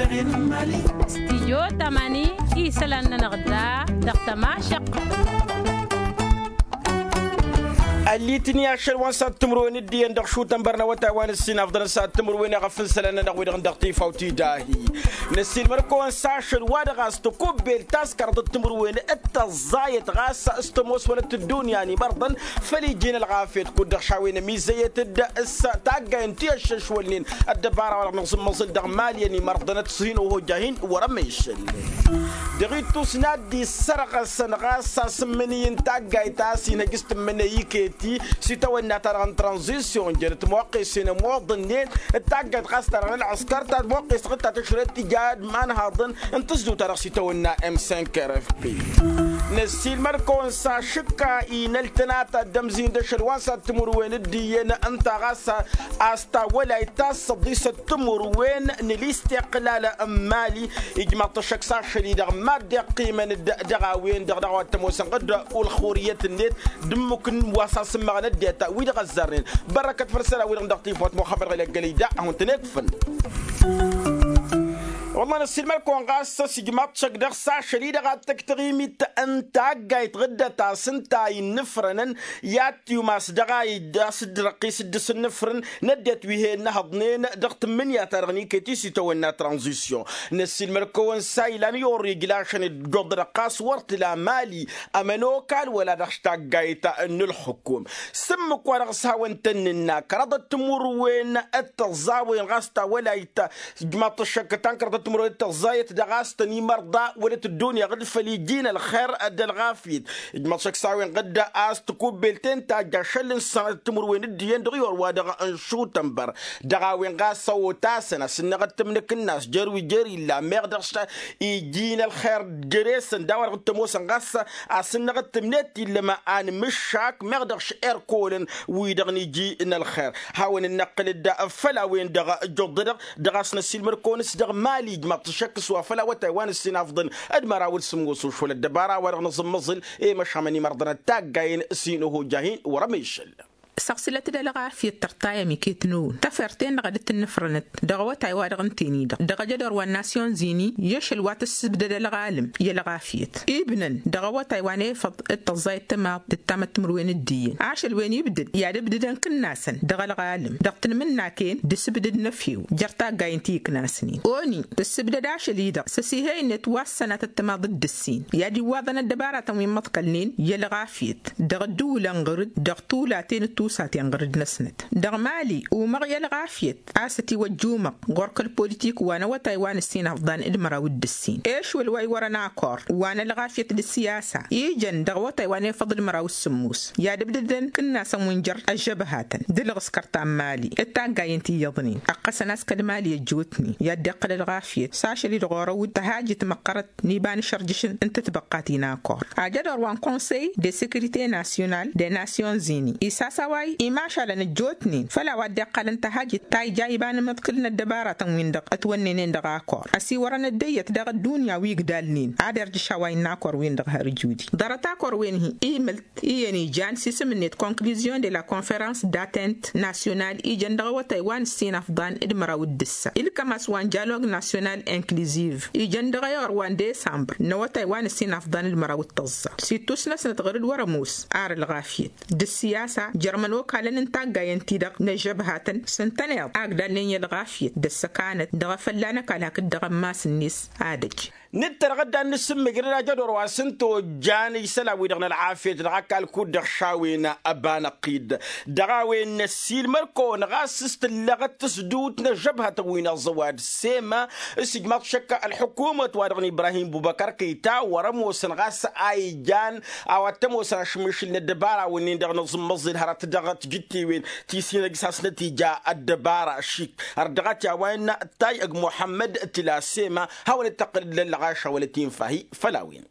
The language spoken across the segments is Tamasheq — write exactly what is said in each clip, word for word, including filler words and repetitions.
Stidyo tamani isălan-nănăɣ da dăɣ-tămašăq. Ăllitni ašăl wa n-sad timǝrwen d-iyyăn dăɣ-šutăn bărnăwăt a-wa n-ǝssin afḍăn n-sad timǝrwen i-ɣăf n-isălan-nănăɣ wi-dăɣ n-dăɣ-tifawt idahi. Năssiilmăr-kăwăn s-ašăl wa dăɣ-a-s tăkubbel taskărt d-timǝrwen d-tăẓẓayăt ɣas s-tămooswănăt d-ǝddunya n-imărḍăn făll-iji n-ălɣafyăt kud-dăɣ šawen ămizăyăt-dd s-taggayen ti ăššăšwălnen ăddăbara wa dăɣ-nǝẓǝmmăẓǝl dăɣ-mali ănimărḍănăt s-hin-oho jahin wăr-ămešăl. Dăɣ-ittus n-ad-dd-issărɣăsăn ɣas asǝmmǝnǝy n-taggayt a-s inhăj s-tǝmmǝnăy iket-i s-itawănna-ta-dăɣ n-tranzisyon jănăt moqqesen ămoḍănnen d-taggayt ɣas ta-dăɣ n-ălɣăskăr ta moqqes-dăɣ d-ta tǝšrăt tija d-imanhaḍăn n-tǝzduwt-ta-dăɣ s-itawănna m cinq r f p. Năssiilmăd-kăwăn s-ašǝkka inăl tănata dd-ămzin d-ašăl wa n-sad timǝrwen d-iyyăn ǝnta ɣas a-s tawălayt ta s-săḍisăt timǝrwen n-ălistiqlal n-mali. Ijmaḍ-t ăššăk s-ašăl-i-dăɣ mad-dd-iqqimăn-dd dăɣ-a-wen-dăɣ dăɣ-a-wa t-ămoosăn ɣǝd ulxuriyăt-net d-ǝmmǝk n-wa s-asǝmmăɣăn ăddinăt wi-dăɣ ăzzarnen. Bărrăkăt făll-isălan-wi-dăɣ n-dăɣ-tifawt muxămmăd ɣăli ăggălăy da ad-hawăn-tăn-ikfăn. Wălla năssiilmăd-kăwăn ɣas s-ijmaḍ-t šăkk dăɣ-s ašăl-i-dăɣ ad-tăkk taɣimit n-taggayt ɣǝddăt-as ǝnta a innǝfrănăn i-ad-tiwmas dăɣ-a-s dd-răqqis dd-sǝnnǝfrǝn n-ăddinăt wi he-innăhăḍnen dăɣ-tǝmmǝnǝya-ta-dăɣ n-iket-i s-itawănna tranzisyon. Năssiilmăd-kăwăn s-a ilan i-orrij lašăn dd-oḍădăɣ ɣas wăr t-ila mali ămănokal wăla dăɣ-s taggayt n-ǝlxǝkum. S-ǝmmǝk wa dăɣ-s hawăn-tăn-nǝnna kăraḍăt timǝrwen d-tăẓẓawen ɣas tawălayt ijmaḍ-t ăššăk tankărăḍăt timǝrwen d-tăẓẓayăt dăɣ-a-s tăn-imărḍa wălăt ăddunya ɣǝd făll-iji n-ălxer d-ălɣafyăt. Ijmaḍ-t ăššăk s-a-wen ɣǝdda a-s tikubbelt ta n-tajj ašăl n-sănatăt timǝrwen d-iyyăn dăɣ-i orwa dăɣ-n šutănbăr dăɣ-a-wen ɣas ăwwăt-asăn asǝnnăɣ d-tamnǝk-năs jer-wi jer-illa meɣ dăɣ-s iji n-ălxer jere-săn d-a-wa dăɣ-t ămoosăn ɣas asǝnnăɣ d-tamnet illăm anmǝššak meɣ dăɣ-s erkolăn wi-dăɣ n-iji n-ălxer. Hawăn-dd-năqqǝl-dd făll-a-wen-dăɣ ăjjuḍădăɣ dăɣ-a-s năssiilmăd-kăwăn s-dăɣ mali ijmaḍ-t ăššăk s-wa făll-awătay wa n-ǝssin afḍăn d-măraw d-sǝmmos ušwăl ăddăbara wa dăɣ-nǝẓǝmmăẓǝl i-măšamăn imărḍăn d-taggayen s-hin-oho jahin wăr-ămešăl. Săɣsǝlăt-dd ălɣafyăt tărtayăm iket-năwăn tafert-en-dăɣ a dd-tǝnnǝfrănăt dăɣ-awătay wa dăɣ-ǝnten-i-dăɣ dăɣ-ajădor wa n-nasyon zini i-ašăl wa tǝssǝbdăd ălɣalăm i-ălɣafyăt ibnăn dăɣ-awătay wa n-efăḍ d-tăẓẓayăt tămaḍt d-tamătmǝrwen d-iyyăn ašăl wen ibdăd i-ad-ǝbdǝdăn kǝnnasăn dăɣ-ălɣalăm dăɣ-tanmǝnnaken d-asǝbdǝd n-efew jer-taggayen ti iknasnen oni tǝssǝbdăd ašăl-i-dăɣ s-asihăy-net wa s-sănatăt tămaḍ d-ǝssin i-ad-iwwaḍăn ăddăbaratăn wi n-imǝḍkălnen i-ălɣafyăt dăɣ-ădduulăn ɣăr-dd dăɣ-tulaten d-tusaten ɣăr-dd-năsnăt dăɣ-mali umăɣ i-ălɣafyăt a-s ătiwăjjumăɣ ɣur-kăl-politik wa n-awătay wa n-ǝssin ăfḍan d-măraw d-ǝssin ešwăl wa iwărăn akor wa n-ălɣafyăt d-ǝssiyasa ijăn dăɣ-awătay wa n-efăḍ d-măraw d-sǝmmos i-ad-ǝbdǝdăn kǝnnasăn wi n-jer-ăžžăbhatăn d-ǝlɣǝskăr ta n-mali d-taggayen ti iyyăḍnen ăqqăsăn a-s kăl-mali ăjjootnen i-ad-dd-iqqăl ălɣafyăt s-ašăl-i-dăɣ orăw-dd tăhajit măqqărăt n-iba n-išărjǝšăn n-tǝtbăqqat-i n-akor ajădor wa n-konsey de sekirite nasyonal de nasyon zini isasaway imašalăn ăjjootnen făll-a-wa dd-iqqalăn tăhajit ta ija iba n-imǝḍkǝl n-ăddăbaratăn-win-dăɣ ătwănnenen dăɣ-akor ăsiwărăn ăddăyyăt dăɣ-ăddunya wi igdalnen ad-irjǝš a-wa innă akor-win-dăɣ har ǝjudi ḍarăt akor-wen-hi imǝlt iyyăn ijan s-isǝm-net konkluzion de la konferans d-atent nasyonal ijăn dăɣ-awătay wa n-ǝssin afḍan d-măraw d-ǝssa ilkăm a-s wa n-jalog nasyonal inkluziv ijăn dăɣ-ayor wa n-desambăr n-awătay wa n-ǝssin afḍan d-măraw d-tăẓẓa s-ittus-năsnăt ɣur-dd wăr-ămoos ar ălɣafyăt d-ǝssiyasa jer-imănokalăn n-taggayen-ti-dăɣ n-ăžžăbhatăn s-ǝntăneḍ a ǝgdalnen i-ălɣafyăt d-ăssăkanăt dăɣ-efălla n-ăkall hakd dăɣ-ămmas-net. Ad-ăj nǝttărăɣ dd-ad-nǝsǝmmǝjrăd ajădor wa s-ǝnta ojjan isălan-wi-dăɣ n-ălɣafyăt dăɣ-ăkall kud-dăɣ šawin ăbanăɣ-t-dd dăɣ-a-wen năssiilmăd-kăwăn ɣas s-tǝllăɣăt tǝsdǝwt n-ăžžăbhătăn wi n-aẓăwad sema s-ijmaḍ šăkk ălḥukumăt wa dăɣ-n ibrahim bubăkăr kăyta wăr-ămoosăn ɣas a ijan a-wa t-ămoosăn ašmǝšǝl n-ăddăbara-wǝnnin-dăɣ n-aẓǝmmăẓǝl hărăt dăɣ-tijǝttewen ti s-hin-ăjj s-hasnăt ija ăddăbara šik har dăɣ-t i-a-wa innă ăttay ăgg muḥămmăd tǝla sema hawăn-dd-tăqqǝl d-lăllăɣaša wăla t-infa-hi făll-a-wen.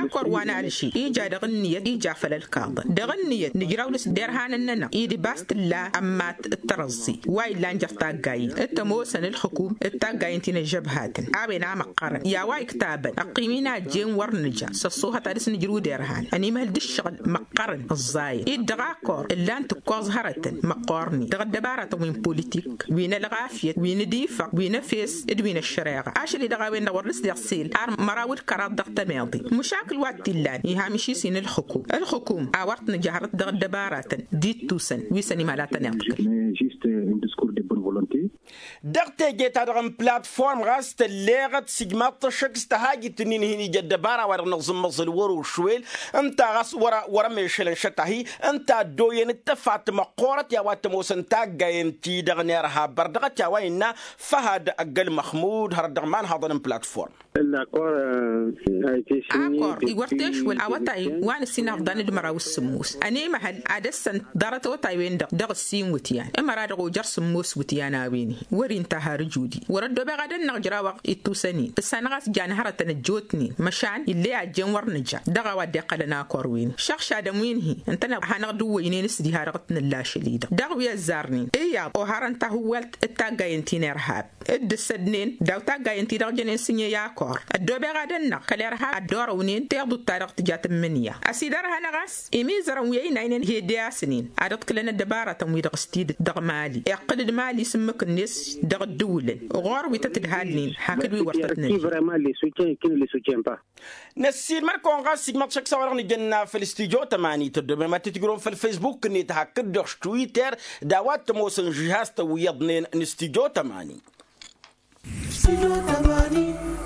Akor wa n-alži ija dăɣ-ǝnniyăt ija făll-ălkaḍăn dăɣ-ǝnniyăt nǝjraw dăr-s derhanăn-nănăɣ-i d-bas tǝlla ămmat d-tărăẓẓi wa illan jer-taggayen d-tămoosăn ǝlxǝkum d-taggayen ti n-ăžžăbhatăn a-wen a măqqărăn i-a-wa iktabăn ăqqim-in a ăjjeen wăr nǝja s-ăṣṣuhăt ad-dăr-s nǝjrǝw derhan ănimhăl d-ǝššăɣǝl măqqărăn ǝẓẓayăn-i-dd dăɣ-akor ǝllan tǝkkoẓ hărătăn măqqoornen dăɣ-ăddăbaratăn wi n-politik wi n-ălɣafyăt wi n-ad-ifăɣ wi n-efes d-wi n-ăššăreɣa ašăl-i-dăɣ a-wen-dăɣ wăr dăr-s deɣ sel ar măraw d-kăraḍ dăɣ-tămeḍe. Măšakǝl wa t-illan iha miši-s-in ǝlxǝkum ǝlxǝkum a wăr t-nǝja hărăt dăɣ-ăddăbaratăn d-ittusăn wi s-ănimhăl ad-tăn-iḍkǝl. Dăɣ-teje-ta-dăɣ n-platform ɣas tălleɣăt sǝjmaḍ-t ăššăk s-tăhajit-ǝnnin hin-ija ăddăbara wa dăɣ-nǝẓǝmmăẓǝl wăr-ošwel ǝnta ɣas wăr-ămešălăn šăt-ahi ǝnta ăddoyăn d-tăfat măqqoorăt i-a-wa t-ămoosăn taggayen-ti-dăɣ n-irhab bărdăɣăt i-a-wa innă făhad ăgg-ălmăxmud hărăt dăɣ-imanhaḍăn n-platform. Akor iwăr tešwăl awătay wa n-ǝssin afḍan d-măraw s-sǝmmos ănemăhăl ad-ăssăn ḍarăt awătay-wen-dăɣ dăɣ-ǝssin wǝtyan ămăra dăɣ-ojăr sǝmmos wǝtyan a-wen-hi wăr-inta har ǝjudi wăr-ăddobeɣ ad-ănnăɣ ǝjrawăɣ ittusăn-in ǝssanăɣ a-s jan hărătăn ăjjootnen măšan ill'-e a ăjjeen wăr nǝja dăɣ-a-wa dd-iqqălăn akor-wen-hi šăɣšadăn wi n-hi ǝntăneḍ ad-hanăɣ-dd-ǝwwăynen s-diha dăɣ-t nǝlla ašăl-i-dăɣ dăɣ-wi ăzzarnen iyyăḍ oharăn tahǝwwalt d-taggayen ti n-irhab dd-ǝssădnen daw-taggayen-ti-dăɣ jănen s-ǝnye i-akor ăddoobeɣ ad-ănnăɣ kăl-irhab ad-dd-orăwnen tiḍut-ta-dăɣ tǝja tǝmmǝnǝya ăsidărhănăɣ a-s imizărăn wi ăynaynen hede a-s ǝnnin ad-ǝḍkǝlăn ăddăbaratăn-wi-dăɣ s-tidǝt dăɣ-mali iqqǝl-dd mali s-ǝmmǝk-net dăɣ-ǝddǝwǝlăn ɣur-wi tăt-ǝdhalnen hakd wi wăr tăt-năj. Năssiilmăd-kăwăn ɣas ijmăḍ šăkk s-a-wa-dăɣ nǝjănna făll-studyo tămani tăddoobem ad-tǝtǝjrǝwăm făll-facebook-net hakd dăɣ-twitter d-a-wa t-ămoosăn žihaz-tăn wi iyyăḍnen n-studyo tămani.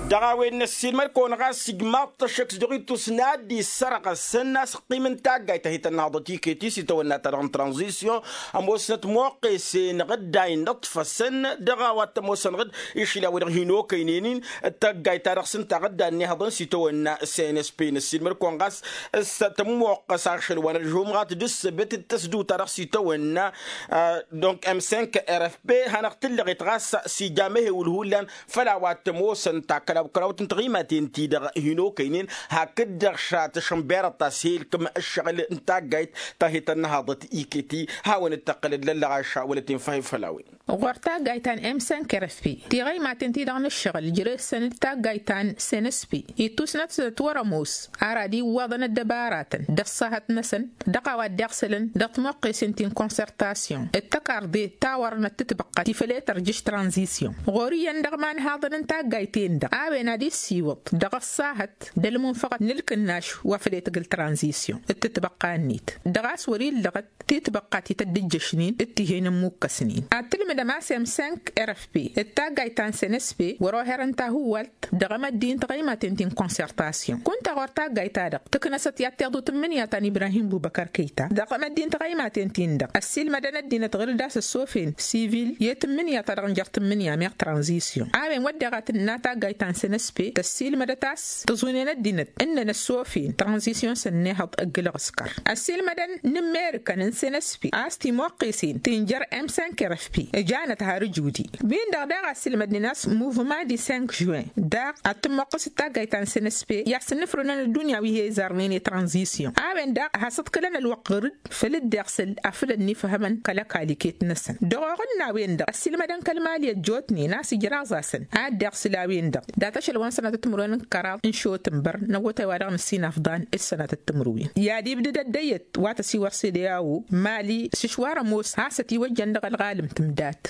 Dăɣ-a-wen năssiilmăd-kăwăn ɣas ijmaḍ-t ăššăk s-dăɣ-ittus n-ad-dd-issărɣăsăn a-s ăqqim n-taggayt ta hi-tănnăhăḍăt iket-i s-itawănna-ta-dăɣ n-tranzisyon ămoosnăt moqqesen ɣǝdday n-ǝṭṭfăsăn dăɣ-a-wa t-ămoosăn ɣǝd išli a-wen-dăɣ hin-okăynen-in d-taggayt-ta-dăɣ s-ǝnta ɣǝdda ănnihăḍăn s-itawănna cnsp năssiilmăd-kăwăn ɣas s-tămmoqqăs ašăl wa n-ălžumɣat d-ǝssǝbǝt d-tăsduta-dăɣ s-itawănna donc m cinq rfp hanăɣ-tǝllăɣet ɣas s-ija amehewǝl hullan făll-a-wa t-ămoosăn takkălaw-kălawt n-tiɣimaten-ti-dăɣ hin-okăynen hakd-dăɣ šat ăšănberăt ta s-he-ilkǝm ǝššăɣǝl n-taggayt ta hi-tănnăhăḍăt iket-i hawăn-dd-tăqqǝlăd lăllăɣaša wălăt-in făhhi făll-a-wen. Ɣur-taggayt ta n-m cinq rfp tiɣăymaten-ti-dăɣ n-ǝššăɣǝl jere-săn d-taggayt ta n-cnsp ittusnăt s-ătwăr-ămoos ar ad-iwwaḍăn ăddăbaratăn d-ăṣṣahăt-năsăn dăɣ-a-wa dd-iɣsălăn dăɣ-timoqqesen ti n-consertasyon d-tăkarḍe ta wărnăt tǝtbăqqăt ti făl e-tărjǝš tranzisyon ɣur-iyyăn dăɣ-imanhaḍăn n-taggayt-en-dăɣ a-wen ad-issiwǝḍ dăɣ-ăṣṣahăt d-ălmunfăɣăt n-ǝlkǝnnaš wa făl e-tǝgǝl tranzisyon d-tǝtbăqqa-net dăɣ-a-s wăr-illăɣăt titbăqqa ti tădd-ǝjjăšnen d-tihen ǝmmukăsnen ad-tǝlmǝdăm a-s m cinq rfp d-taggayt ta n-cnsp wăr-oherăn tahǝwwalt dăɣ-emăddi n-tiɣăymaten ti n-consertasyon kunta ɣur-taggayt-ta-dăɣ tǝknăsăt i-ad-tiḍut ǝmmǝnǝya ta n-ibrahim bubăkăr kăyta dăɣ-emăddi n-tiɣăymaten-tin-dăɣ ăssiilmădăn ăddinăt ɣǝr-dd a-s ăssofeyn sivil i-tǝmmǝnǝya ta dăɣ-nǝjăr tǝmmǝnǝya meɣ tranzisyon a-wen wădden a tǝnna taggayt ta n-cnsp tăssiilmădăt a-s tǝẓunen ăddinăt ǝnnăn ăssofeyn tranzisyon s-ănnihăḍ ǝggǝlăɣ s-kăr ăssiilmădăn n-ǝmmerǝkăn n-cnsp a-s timoqqesen ti n-jer-m cinq rfp ǝjanăt har ǝjudi win-dăɣ daɣ a ăssiilmădnen a-s muvement di cinq juin daɣ ad-tǝmmoqqăs d-taggayt ta n-cnsp i-ad-sǝnnǝfrǝnăn ăddunya wi he-izarnen i-tranzisyon a-wen daɣ has-ǝḍkǝlăn ălwăqq ɣǝr-dd făll-dd-iɣsǝl afǝl ănnifhămăn kăl-ăkall iket-năsăn dăɣ-oɣǝnna-wen-dăɣ ăssiilmădăn kăl-mali ăjjootnen a-s ǝjraẓ-asăn ad-dd-iɣsǝl a-wen-dăɣ data ašăl wa n-sănatăt timǝrwen n-kăraḍ n-šotǝnbăr n-awătay wa dăɣ-nǝssin afḍan d-sănatăt timǝrwen i-ad-ibdǝd ăddăyăt wa tăsiwăr s-ede a-wo mali s-išwar ămoos has-ătiwăjjăn dăɣ-ălɣalǝm tǝmdat.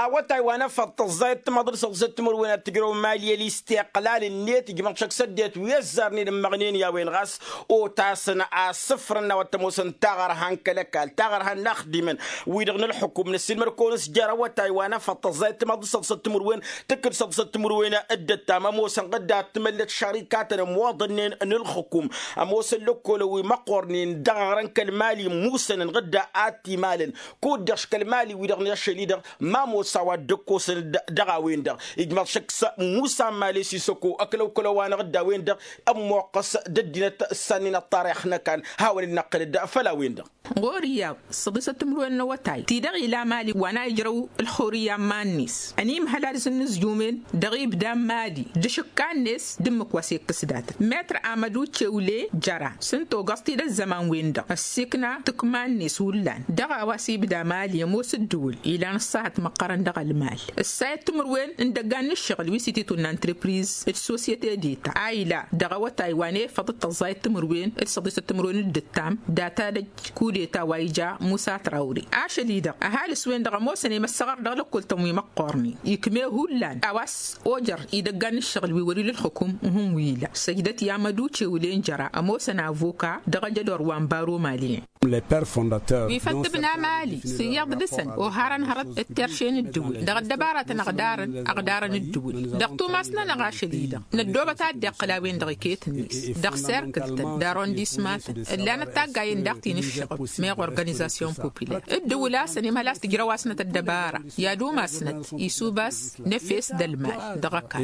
Awătay wa n-efăḍ tăẓẓayăt timăḍ d-săḍsăt timǝrwen ad-tǝjrăw mali ălisteqlal-net ijmăḍ šăkk s-ăddinăt wi ăzzarnen ǝmmăɣnen i-a-wen ɣas otasăn asǝfrăn n-a-wa t-ămoosăn taɣărha n-kăl-ăkall taɣărha n-inaxdimăn wi-dăɣ n-ǝlxǝkum năssiilmăd-kăwăn s-jer-awătay wa n-efăḍ tăẓẓayăt timăḍ d-săḍsăt timǝrwen tǝkkǝd săḍsăt timǝrwen d-ăttam ămoosăn ɣǝdda ad-tǝmăllăt šărikatăn ămwăḍănnen n-ǝlxǝkum ămoosăn lăkkolăn wi măqqornen dăɣ-aɣrăn kăl-mali musănăn. dd-atimalăn kud-dăɣ škăl mali-wi-dăɣ n-ašăl-i-dăɣ. Ma mosa wa dd-ăkkosăn dăɣ-a-wen-dăɣ ijmaḍ šăkk s-musa mali sisăko ăklăw-kălăw-wa-năɣ dd-a-wen-dăɣ. Ămmoqqăs d-ăddinăt s-annin ăṭṭarix n-ăkan hawăn-dd-năqqǝl-dd făll-a-wen-dăɣ. Ɣur-iyyăḍ săḍisăt timǝrwen n-awătay-ti-dăɣ ila mali wa n-a ijrăw ălxurǝyya n-iman-net ănimhăl ad-sǝnnǝzjumen dăɣ-ibda n-mali d-ašǝkka-net d-ǝmmǝk wa s-ikkǝs datăt metr amădu cewle jăra s-ǝnta ogăẓ-t-dd ăzzăman-wen-dăɣ ăssiikna tǝkma-net hullan dăɣ-a-wa s-ibda mali ămoos ǝddǝwǝl ilan ăṣṣahăt măqqărăn dăɣ-ălmal. Ǝssayăt timǝrwen n-idăggan n-ǝššăɣǝl wi s-ititun n-antrăpriz d-sosyete deta a ila dăɣ-awătay wa n-efăḍ d-tăẓẓayăt timǝrwen d-săḍisăt timǝrwen d-ǝttam data d-ăj kudeta wa ija musa trawre ašăl-i-dăɣ ăhalǝs-wen-dăɣ ămoosăn i-măssăɣăr dăɣ-lăkkol-tăn wi măqqoornen ikme hullan a-wa s-ojăr idăggan n-ǝššăɣǝl wi wăr-ila ǝlxǝkum. Ǝhǝn wi ila săjdăt i-amăduce wǝlen jăra ămoosăn avoka dăɣ-ajădor wa n-baro maliyen. Wi făl tǝbna mali s-iyyăḍ dăɣ-săn oharăn hărăt d-terše n-ǝddǝwǝl dăɣ-ăddăbaratăn ăɣdarăn ăɣdarăn ǝddǝwǝl dăɣ-tumas-nănăɣ ašăl-i-dăɣ năddoobăt ad-dd-iqqǝl a-wen-dăɣ iket-net dăɣ-serkǝl-tăn d-arondisma-tăn ǝllanăt taggayen daɣ ti n-ǝššăɣǝb meɣ organizasyon populăr ǝddǝwǝl a-s ănimhăl a-s tǝjrăw-asnăt ăddăbara i-ad-umasnăt isubas năfes d-ălmal dăɣ-ăkall.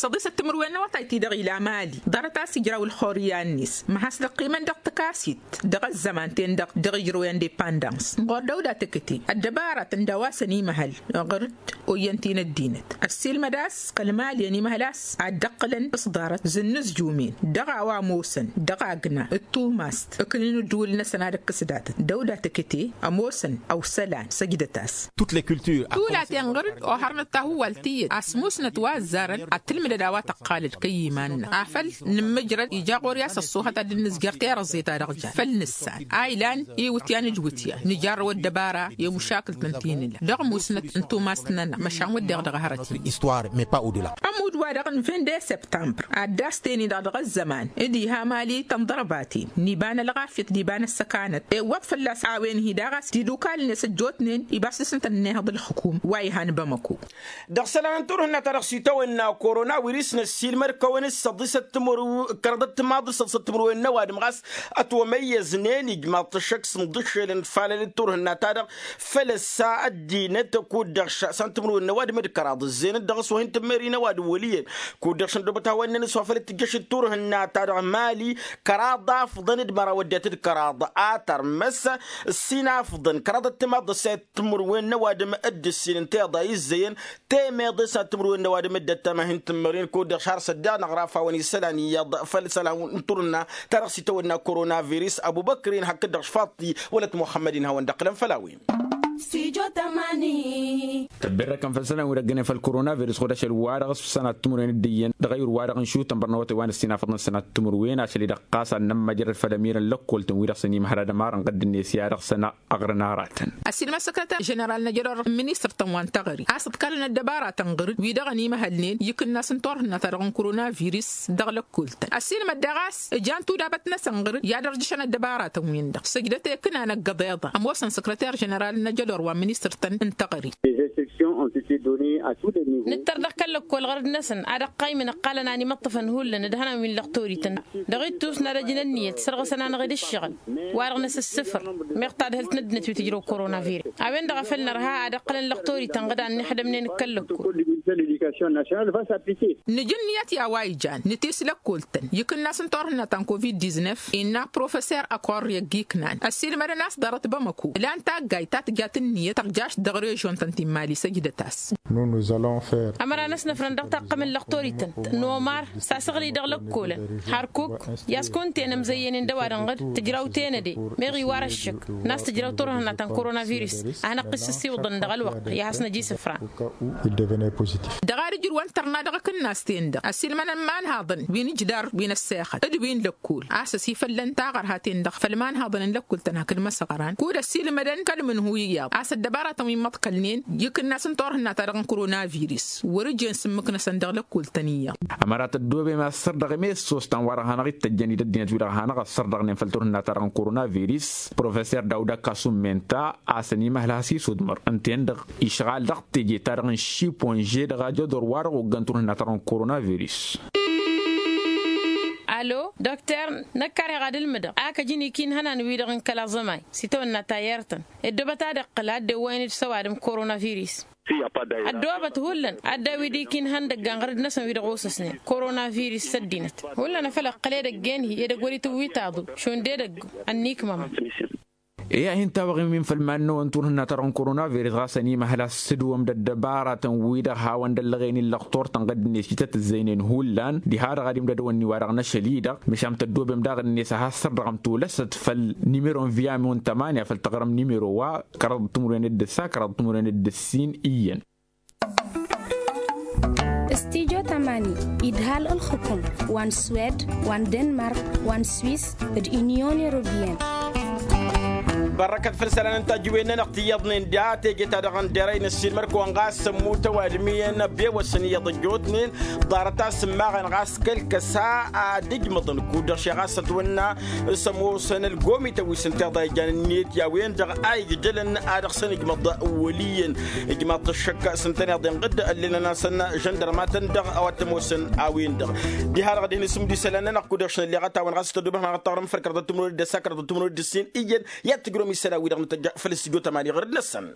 Săḍisăt timǝrwen n-awătay-ti-dăɣ ila mali ḍarăt a-s ijraw ǝlxorǝya-net măhas dăɣ-qiman dăɣ-takasit dăɣ-ăzzăman-ten-dăɣ dăɣ-ijrăw indepandans ɣur-dăwda tăkăte ăddăbaratăn d-a-wa s-ănimăhăl ɣur-t oyyăn-t-in ăddinăt ăssiilmăd a-s kăl-mali ănimăhăl a-s ad-dd-ăqqǝlăn s-ḍarăt zǝnnǝzjumen dăɣ-a-wa ămoosăn dăɣ-agna d-tumast ǝknǝn ǝddǝwǝl-năsăn ad-ǝkkǝs datăt dăwda tăkăte ămoosăn ăwsălan săjdăt-as. Tulaten ɣǝr-dd ohărnăt tahǝwwalt tiyyăt a-s musnăt wa ăzzarăn ad-tǝlmǝdăd a-wa tăqqalăd kăy-iman-năɣ afăl nǝmmǝjrăd ija ɣur-i a-s ăṣṣuhăt ad-dd-nǝzjăr tirăẓẓet-a-dăɣ jan făll-nǝssan a ilan iwǝtyan d-iwǝtyan nǝjarrăw ăddăbara i-mušakǝlt n-ti nǝla dăɣ-musnăt n-tumast-nănăɣ măšan wădden dăɣ-hărăt-in. Ămudd-wa-dăɣ n-vinde septambr ad-dd-as-ten-i-dăɣ dăɣ-ăzzăman d-iha mali tănḍărbaten n-iba n-ălɣafyăt d-iba n-ăssăkanăt iwwăḍ fălla-s a-wen-hi daɣ a-s tidukal-net ăjjootnen ibas dăɣ-săn tănnihăḍ ǝlxǝkum wa ihan bamăko. Dăɣ-isălan n-turhǝnna-ta-dăɣ s-itawănna korona wiris năssiilmăd kăwăn-dd săḍisăt timǝrw kăraḍăt timaḍ d-săḍisăt timǝrwen n-ăwadǝm ɣas ătwămăyyăznen ijmaḍ-t ăššăk s-imḍǝššelăn falăl d-turhǝnna-ta-dăɣ făl ăssa ăddinăt kud-dăɣ šăsan timǝrwen n-ăwadǝm d-kăraḍ ǝzzeyăn-dd dăɣ-s wa hin-tǝmmeri n-ăwadǝm wăl' iyyăn kud-dăɣ šăn dăwbăt hawăn-năn s-wa făl t-tǝjjăš d-turhǝnna-ta-dăɣ mali kăraḍ afḍăn d-măraw ăddinăt d-kăraḍ a tărmăs ǝssin afḍăn kăraḍăt timaḍ d-ăssayăt timǝrwen n-ăwadǝm d-ǝssin ǝnta iḍa izzăyăn temeḍe s-ad-timǝrwen n-ăwadǝm dd-ăttam a hin-tǝmmăren kud-dăɣ šar s-ăddiɣ năɣraf a-wen isălan iyyăḍ făll-isălan n-turǝnna ta dăɣ-s itawănna koronavirus ăbubăkrin hakd-dăɣ šfaḍti wălăt muxămmăd-in hawăn-dd-ăqqǝlăn făll-a-wen. Tăbberrăkăn făll-isălan wi dăggănen făll-koronavirus ɣud ašăl wa dăɣ-s făll-isălan ad-timǝrwen dd-iyyăn dăɣ-ayǝr wa dăɣ-n šutăn bărnăwătăn wa n-ăssinafăḍăn isălan ad-timǝrwen ašăl-i-dăɣ ɣas ad-nămmăjrăd făll-ămirăn lăkkoltăn wi dăɣ-săn imhăr ad-ămarăn ɣǝdd-net i-ad-dăɣ-săn ăɣrǝn aratăn. Ăsiilmăd săkrăter ženeral n-ajădor n-ministăr-tăn wa n-teɣăre a-s ǝḍkalăn ăddăbaratăn ɣǝr-dd wi-dăɣ ănimăhălnen i-ikǝnnas n-turhǝnna-ta-dăɣ n-koronavirus dăɣ-lăkkoltăn ăsiilmăd daɣ a-s ǝjan tudabăt-năsăn ɣǝr-dd i-ad-ărjǝšăn ăddăbaratăn-win-dăɣ săjdăt i-ikǝnan ăggăḍ iḍan ămoosăn săkrăter ženeral n-ajădor wa n-ministăr-tăn n-teɣăre. Nǝttăr dăɣ-kăl-lăkkol ɣărăd-năsăn ad-ăqqaymǝn ǝqqalăn a ănimăṭṭăfăn hullan d-ihănan wi n-lăqtorităn dăɣ-ittus n-ad-ăjǝn ǝnniyăt sărɣǝsăn-anăɣ-dd ǝššăɣǝl wa-dăɣ năsǝssǝfăr meɣ tadhǝlt n-ăddinăt wi tǝjrăw koronavirus a-wen-dăɣ a făl nărha ad-ăqqălăn lăqtorităn ɣǝd a ănnixdămnen d-kăl-lăkkol. Nǝja ǝnniyăt i-a-wa ijan nǝtis lăkkol-tăn i-ikǝnnas n-turhǝnna ta n-covid-diznef innă professor ăkorri ăgg-iknan ăssiilmădăn a-s ḍarăt bamăko ǝlan taggayt ta tǝjat ǝnniyăt tăɣjašt dăɣ-režion-tăn ti n-mali săjdăt-as. Ămăra n-ăsnăfrăn dăɣ-taqqăm n-lăqtorităn n-omar s-asăɣli dăɣ-lăkkolăn hărkuk i-a-s kunta-en ămzăyyănen d-ăwadǝm ɣǝd tǝjraw tenăde meɣ iwar ăššăk n-a-s tǝjraw turhǝnna ta n-koronavirus a hanăɣ-t-ǝssǝssiwǝḍăn dăɣ-ălwăqq i-ad-hasnăj isǝfran. Dăɣ-ad-ǝjrǝwăn tărna dăɣ-akǝnnas-ten-dăɣ ăsiilmănăn imanhaḍăn wi n-ǝjdar wi n-ăssexăt d-wi n-lăkkol a-s ăsifăllăn taɣărha-ten-dăɣ făll-imanhaḍăn n-lăkkol-tăn hakd măsăɣran kud-ăsiilmădăn kăl-mǝnhu iyyăḍ a-s ăddăbaratăn wi n-imăḍkălnen i-ikǝnnas n-turhǝnna-ta-dăɣ n-koronavirus wăr-ǝjen s-ǝmmǝk-năsăn dăɣ-lăkkol-tăn iyyăḍ. Ămăra tăddoobem asărdăɣ i-messos ta n-wa-dăɣ hanăɣ-ittăjjăn i-dăddinăt wi-dăɣ hanăɣ-ăssărdăɣnen făll-turhǝnna-ta-dăɣ n-koronavirus professor dawda kasumenta a-s ănimăhăl has-isudmăr ǝnta-en-dăɣ išɣal dăɣ-teje-ta-dăɣ n-šiponže dăɣ-ajădor wa-dăɣ oggăn turhǝnna-ta-dăɣ n-koronavirus. Alo dokter, năkk karheɣ ad-ǝlmǝdăɣ a kăjăn ikinhănan-wi-dăɣ n-kăla ẓămay s-itawănna tayyăr-tăn. Ăddoobăt ad-iqqǝl a dd-ewwăyăn d-săwadǝm koronavirus. Ăddoobăt hullan ad-dd-ewwi d-ikinhăn dăgg-anɣăr-dd-năsăn wi dăɣ-osăsnen koronavirus s-ăddinăt. Hullan a făl ǝqqǝl edăgg-en-hi edăgg wăr-itǝwwi taḍu šund edăgg ănnikmămăn. E-a hin-tawăɣ imin făll-iman-năwăn turhǝnna ta-dăɣ n-koronavirus ɣas ănimăhăl a-s tǝdwǝm d-ăddăbaratăn-wi-dăɣ hawăn-dd-ăllăɣen illăɣ turtăn ɣǝddǝnet i-tăt-ǝzzăynen hullan diha-dăɣ ad-imdădăwăn-ni wa-dăɣ n-ašăl-i-dăɣ. Măšan tăddoobem daɣ-net a has-sărdăɣăm tolăsăt făll-nimero n-viyamu n-tămanya făll-taɣrǝm nimero wa kăraḍăt timǝrwen d-ǝssa kăraḍăt timǝrwen d-ǝssin iyyăn. Studyo tamani idhal ǝlxǝkum wa n-swed wa n-denmark wa n-swis d-unyon europeyăn. Bărrăkăt făll-isălan n-tajǝwen-nănăɣ ti iyyăḍnen da teje-ta-dăɣ n-derăy n-ăssiilmăr-kăwăn ɣas sămmutăw adǝm iyyăn ăbewăsăn iyyăḍ ăjjootnen. Ḍarăt a-s ǝmmaɣăn ɣas kăl-kăsa ad-ǝjmăḍăn kud-dăɣ šeɣ a-s ătwănna s-ămoosăn ălgomităn wi s-ǝnta iḍa ijăn ǝnniyăt i-a-wen-dăɣ a ijjălăn a dăɣ-săn ǝjmăḍ wăl' iyyăn. Ǝjmaḍ-t ăššăk s-ǝntăneḍ inɣǝd ăllelăn-asăn žăndărmatăn-dăɣ a-wa t-ămoosăn a-wen-dăɣ. Diha-dăɣ ad-hin-isǝmdǝw isălan-nănăɣ kud-dăɣ šăn ălleɣăt-awăn ɣas tăddoobăt hanăɣ-ăṭṭaɣrǝm făll-kăraḍăt timǝrwen d-ǝssa kăraḍăt timǝrwen d-ǝssin iyyăn. I-ad-tǝjrǝwăm isălan-wi-dăɣ n-tăjja făll-studyo tamani ɣărăd-năsăn.